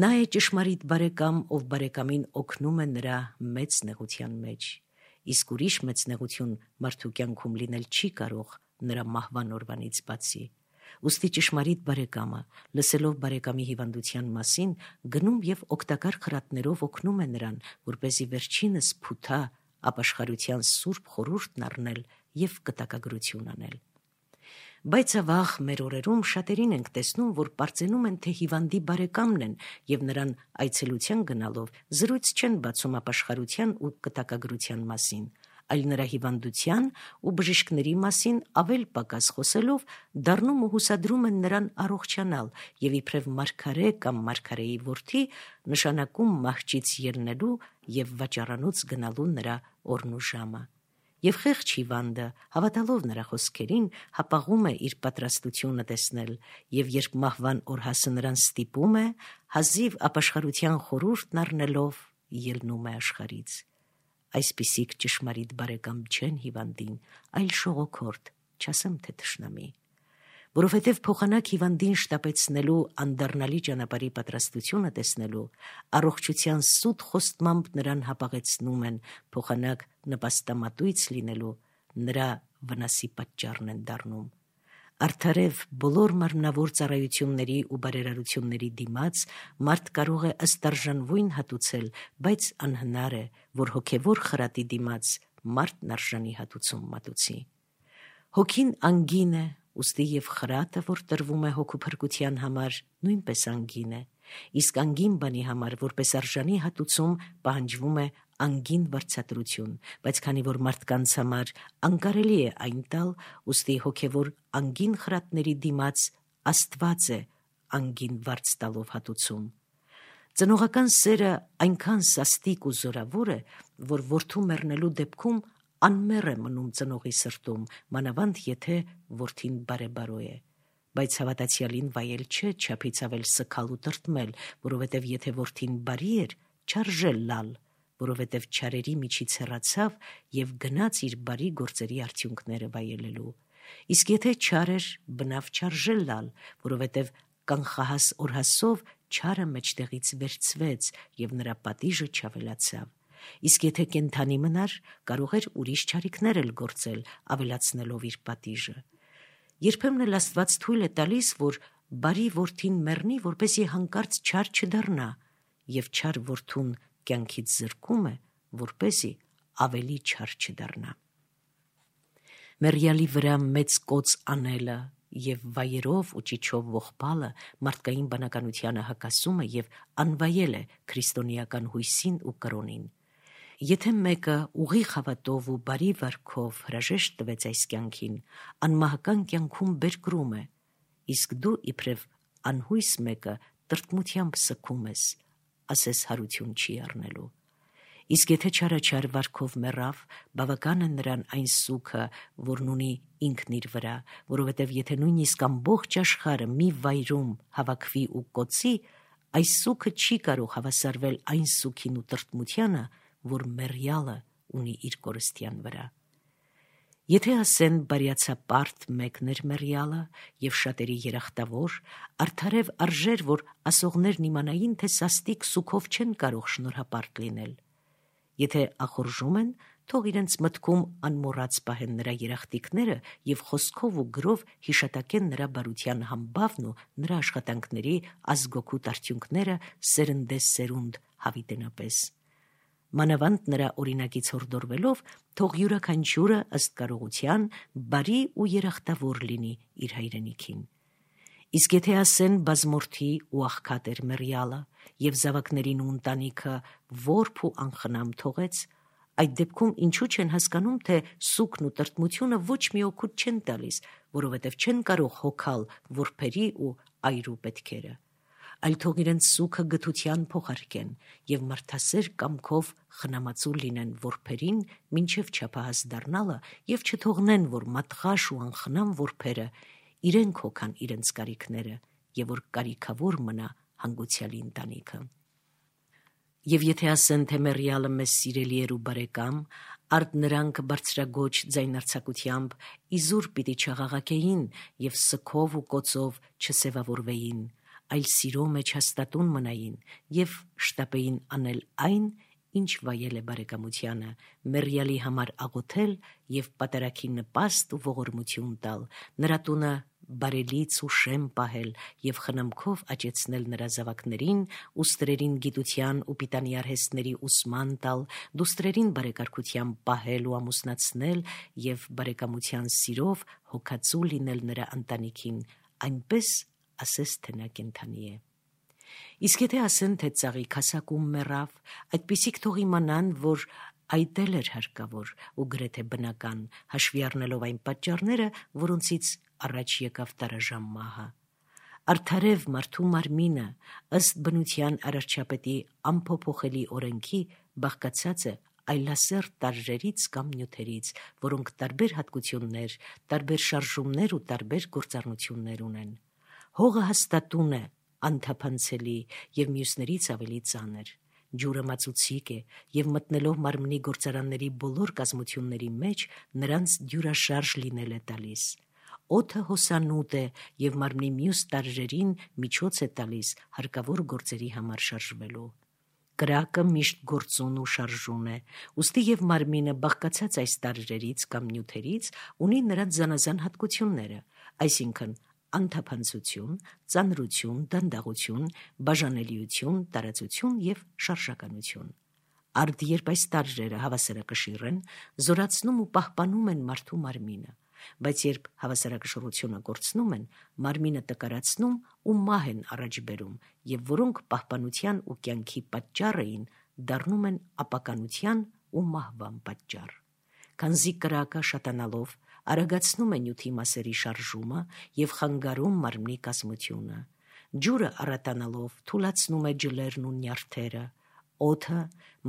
Նա է ճշմարիտ բարեկամ, ով բարեկամին օգնում է նրա մեծ նեղության մեջ, իսկ ուրիշ մեծ նեղություն մարդու կյանքում լինել չի կարող նրա մահվան օրվանից բացի։ Ուստի ճշմարիտ բարեկամը, լսելով բարեկամի հիվանդության մասին, գնում և օգտակար խրատներով օգնում է նրան, որպեսզի վերջինս փութա ապաշխարության սուրբ խորհուրդն առնել և կտակագրություն անել։ Բայց ավաղ մեր օրերում շատերին ենք տեսնում, որ պարծենում են, թե հիվանդի բարեկամն են և նրան այցելության գնալով զրույց չեն բացում ապաշխարության ու կտակագրության մասին, այլ նրա հիվանդության ու բժիշկների մասին ավել պակաս խոսելով դառնում ու հուսադրում են նրան առողջանալ և իբրև մարգարե կամ մարգարեի որդի նշանակում մահճից ելնելու և վաճառանոց գնալու նրա օրն ու ժամը։ Եվ խեղճ հիվանդը, հավատալով նրա խոսքերին, հապաղում է իր պատրաստությունը տեսնել, և երբ մահվան օրհասը նրան ստիպում է, հազիվ ապաշխարության խորհուրդն առնելով ելնում է աշխարհից։ Այսպիսիք ճշմարիտ բարեկամ չեն հիվանդին, այլ շողոքորդ, չասեմ թե թշնամի։ Որովհետև փոխանակ հիվանդին շտապեցնելու անդառնալի ճանապարհի պատրաստությունը տեսնելու, առողջության սուտ խոստմամբ նրան հապաղեցնում են, փոխանակ նպաստամատույց լինելու, նրա վնասի պատճառն են դառնում։ Արդարև բոլոր մարմնավոր ծառայությունների ու բարերարությունների դիմաց մարդ կարող է ըստ արժանվույն հատուցել, բայց անհնար է, որ հոգևոր խրատի դիմաց մարդն արժանի հատուցում մատուցի։ Հոգին անգին է, ուստի և խրատը, որ տրվում է հոգու փրկության համար, նույնպես անգին է, իսկ անգին բանի համար, որպես արժանի հատուցում, պահանջվում է անգին վարձատրություն, բայց քանի որ մարդկանց համար անկարելի է այն տալ, ուստի հոգևոր անգին խրատների դիմաց Աստված է անգին վարձ տալով հատուցում։ Ծնողական սերը այնքան սաստիկ ու զորավոր է, որ որդու մեռնելու դեպքում անմեռ է մնում ծնողի սրտում, մանավանդ եթե որդին բարեբարո է, բայց հավատացյալին վայել չէ չափից ավել սգալ ու տրտմել, որովհետև եթե որդին բարի էր, չարժե լալ, որովհետև չարերի միջից հեռացավ և գնաց իր բարի գործերի արդյունքները վայելելու։ Իսկ եթե չար էր, բնավ չարժե լալ, որովհետև կանխահաս օրհասով չարը մեջտեղից վերցվեց եւ նրա պատիժը չավելացավ։ Իսկ եթե կենթանի մնար, կարող էր ուրիշ չարիքներ էլ գործել, ավելացնելով իր պատիժը։ Երբեմն էլ Աստված թույլ է տալիս, որ բարի որդին մեռնի, որպեսզի հանկարծ չար չդառնա, եւ չար որդուն կյանքից զրկում է, որպեսզի ավելի չար չդառնա։ Մեռյալի վրա մեծ կոծ անելը եւ վայերով ու ճիչով ողբալը մարդկային բանականությանը հակասում է եւ անվայել է քրիստոնեական հույսին ու կրոնին։ Եթե մեկը ուղիղ հավատով ու բարի վարքով հրաժեշտ տվեց այս կյանքին, անմահական կյանքում բերկրում է, իսկ դու իբրև անհույս մեկը տրտմությամբ սգում ես, ասես հարություն չի առնելու։ Իսկ եթե չարաչար վարքով մեռավ, բավական է նրան այն սուգը, որն ունի ինքն իր վրա, որովհետև եթե նույնիսկ ամբողջ աշխարհը մի վայրում հավաքվի ու կոծի, այս սուգը չի կարող հավասարվել այն սուգին ու տրտմությանը, որ մեռյալը ունի իր կորստյան վրա։ Եթե ասեն բարյացապարտ մեկն էր մեռյալը եւ շատերի երախտավոր, արդարև արժեր, որ ասողներն իմանային, թե սաստիկ սուգով չեն կարող շնորհապարտ լինել։ Եթե ախորժում են, թող իրենց մտքում անմոռաց պահեն նրա երախտիկները եւ խոսքով ու գրով հիշատակեն նրա բարության համբավն ու նրա աշխատանքների ազգօգուտ արդյունքները սերնդե սերունդ հավիտենապես։ Մանավանդ նրա օրինակից հորդորվելով, թող յուրաքանչյուրը ըստ կարողության բարի ու երախտավոր լինի իր հայրենիքին։ Իսկ եթե ասեն բազմորդի ու աղքատ էր մեռյալը եւ զավակներին ու ընտանիքը որբ ու անխնամ թողեց, այդ դեպքում ինչու չեն հասկանում, թե սուգն ու տրտմությունը ոչ մի օգուտ չեն տալիս, որովհետև չեն կարող հոգալ որբերի ու այրու պետքերը, այլ թող իրենց սուգը գթության փոխարկեն եւ մարդասեր կամքով խնամածու լինեն որբերին մինչև չափահաս դառնալը եւ չթողնեն, որ մատղաշ ու անխնամ որբերը իրենք հոգան իրենց կարիքները եւ որ կարիքավոր մնա հանգուցյալի ընտանիքը։ Եվ եթե ասեն, թե մեռյալը մեզ սիրելի էր ու բարեկամ, արդ նրանք բարձրագոչ ձայնարձակությամբ իզուր պիտի չաղաղակեին եւ սգով ու կոծով չսևավորվեին, այլ սիրո մեջ հաստատուն մնային եւ շտապեին անել այն, ինչ վայել է բարեկամությանը, մեռյալի համար աղոթել եւ պատարագի նպաստ ու ողորմություն տալ, նրա տունը բարելից ու շեմ պահել եւ խնամքով աճեցնել նրա զավակներին, ուստրերին գիտության ու պիտանի արհեստների ուսման տալ, դուստրերին բարեկարգությամբ պահել ու ամուսնացնել եւ բարեկամության սիրով հոգացու լինել նրա ընտանիքին, այնպես ասես թե նա կենդանի է։ Իսկ եթե ասեն, թե ծաղիկ հասակում մեռավ, այդպիսիք թող իմանան, որ այդ էլ էր հարկավոր ու գրեթե բնական, հաշվի առնելով այն պատճառները, որոնցից առաջ եկավ տարաժամ մահը։ Արդարև մարդու մարմինը ըստ բնության արարչապետի անփոփոխելի օրենքի բաղկացած է այլասերտ տարրերից կամ նյութերից, որոնք տարբեր հատկություններ, տարբեր շարժումներ ու տարբեր գործառնություններ ունեն։ Հողը հաստատուն է, անթափանցելի եւ մյուսներից ավելի ծանր։ Ջուրը մածուցիկ է եւ մտնելով մարմնի գործարանների բոլոր կազմությունների մեջ նրանց դյուրաշարժ լինել է տալիս։ Օդը հոսանուտ է եւ մարմնի մյուս տարրերին միջոց է տալիս հարկավոր գործերի համար շարժվելու։ Կրակը միշտ գործուն ու շարժուն է, ուստի եւ մարմինը բաղկացած այս տարրերից կամ նյութերից ունի նրանց զանազան հատկությունները, այսինքն անթափանցություն, ծանրություն, դանդաղություն, բաժանելիություն, տարածություն եւ շարժականություն։ Արդ երբ այս տարրերը հավասարակշիռ են, զորացնում ու պահպանում են մարդու մարմինը, բայց երբ հավասարակշռությունը կորցնում են, մարմինը տկարացնում ու մահ են առաջ բերում, եւ որոնք պահպանության ու կյանքի պատճառ էին, դառնում են ապականության ու մահվան պատճառ։ Քանզի կրակը շատանալով արագացնում է նյութի մասերի շարժումը եւ խանգարում մարմնի կազմությունը։ Ջուրը առատանալով թուլացնում է ջլերն ու նյարդերը, օդը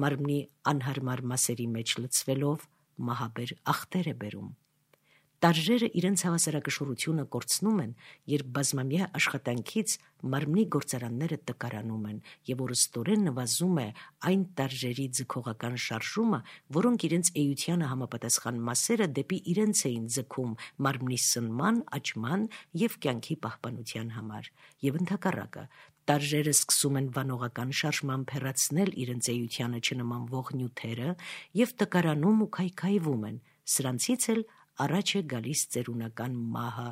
մարմնի անհարմար մասերի մեջ լցվելով մահաբեր ախտեր է բերում։ Տարրերը իրենց հավասարակշռությունը կորցնում են, երբ բազմամյա աշխատանքից մարմնի գործարանները տկարանում են եւ օրստորեն նվազում է այն տարրերի ձգողական շարժումը, որոնք իրենց էությանը համապատասխան մասերը դեպի իրենց էին ձգում մարմնի սնման, աճման եւ կյանքի պահպանության համար, եւ ընդհակառակը տարրերը սկսում են վանողական շարժմամբ հեռացնել իրենց էությանը չնմանվող նյութերը եւ տկարանում ու քայքայվում են, սրանցից էլ առաջ է գալիս ծերունական մահը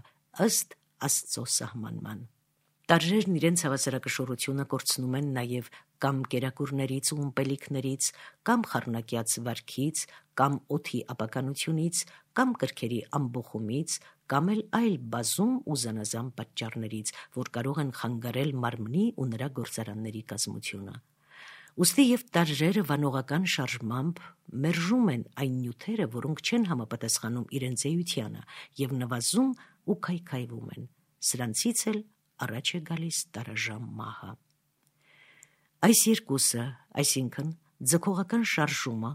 ըստ Աստծո սահմանման։ Տարրերն իրենց հավասարակշռությունը կորցնում են նաև կամ կերակուրներից ու ումպելիքներից, կամ խառնակյաց վարքից, կամ օդի ապականությունից, կամ կրքերի ամբոխումից, կամ էլ այլ բազում ու զանազան պատճառներից, որ կարող են խանգարել մարմնի ու նրա գործարանների կազմությունը։ Ուստի եւ տարրերը վանողական շարժմամբ մերժում են այն նյութերը, որոնք չեն համապատասխանում իրենց էությանը եւ նվազում ու քայքայվում են, սրանցից էլ առաջ է գալիս տարաժամ մահը։ Այս երկուսը, այսինքն ձգողական շարժումը,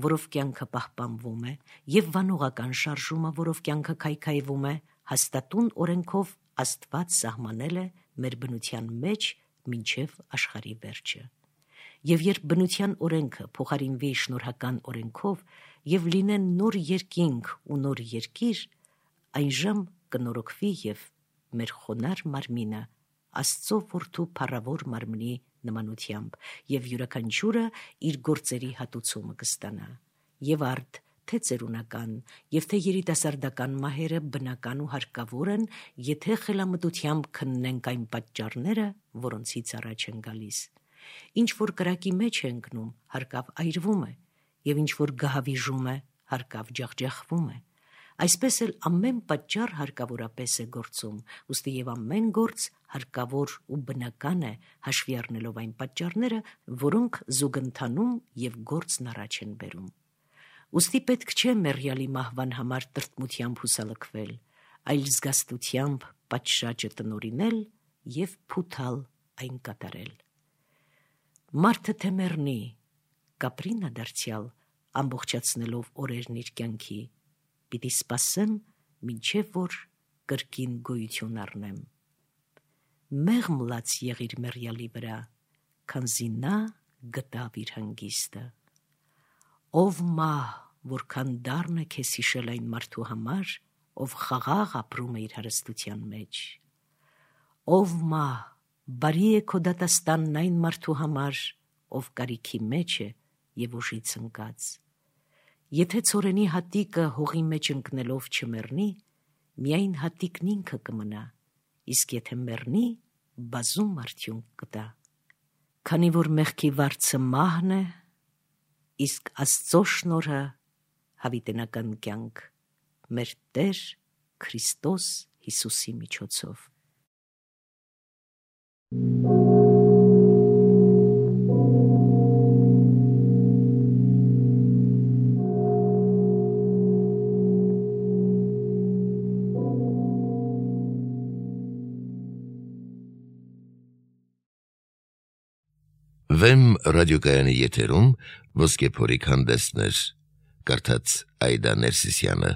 որով կյանքը պահպանվում է, եւ վանողական շարժումը, որով կյանքը քայքայվում է, հաստատուն օրենքով Աստված սահմանել է մեր բնության մեջ մինչև աշխարհի վերջը։ Եվ երբ բնության օրենքը փոխարինվի շնորհական օրենքով եւ լինեն նոր երկինք ու նոր երկիր, այնժամ կնորոգվի եւ մեր խոնար մարմինը Աստծո որդու փառավոր մարմնի նմանությամբ եւ յուրաքանչյուրը իր գործերի հատուցումը կստանա։ Եվ արդ թե ծերունական եւ թե երիտասարդական մահերը բնական ու հարկավոր են, եթե խելամտությամբ քննենք այն պատճառները, որոնցից առաջ են գալիս։ Ինչ որ կրակի մեջ է ընկնում, հարկավ այրվում է, եւ ինչ որ գահավիժում է, հարկավ ջախջախվում է։ Այսպես էլ ամեն պատճառ հարկավորապես է գործում, ուստի եւ ամեն գործ հարկավոր ու բնական է, հաշվի առնելով այն պատճառները, որոնք զուգընթանում եւ գործն առաջ են բերում։ Ուստի պետք չէ մեռյալի մահվան համար տրտմությամբ հուսալքվել, այլ զգաստությամբ պատշաճը տնօրինել եւ փութալ այն կատարել։ Մարդը թե մեռնի, կապրինա դարձյալ, ամբողջացնելով օրերն իր կյանքի, պիտի սպասեմ, մինչև որ կրկին գոյություն առնեմ։ Մեղմ լաց եղիր մեռյալի վրա, քանզի նա գտավ իր հանգիստը։ Ով մահ, որքան դառն է քեզ հիշել այն մարդու համար, ով խաղաղ ապրում է իր հարստության մեջ։ Ով մահ, բարի է քո դատաստանն այն մարդու համար, ով կարիքի մեջ է եւ ուժից ընկած։ Եթե ցորենի հատիկը հողի մեջ ընկնելով չմեռնի, միայն հատիկն ինքը կմնա, իսկ եթե մեռնի, բազում արդյունք կտա։ Քանի որ մեղքի վարձը մահն է, իսկ Աստծո շնորհը հավիտենական կյանք, մեր Տեր Քրիստոս Հիսուսի միջոցով։ Վեմ ռադիոկայանի եթերում ոսկե փորիկ հանդեսներ, կարդաց Այդա Ներսիսյանը։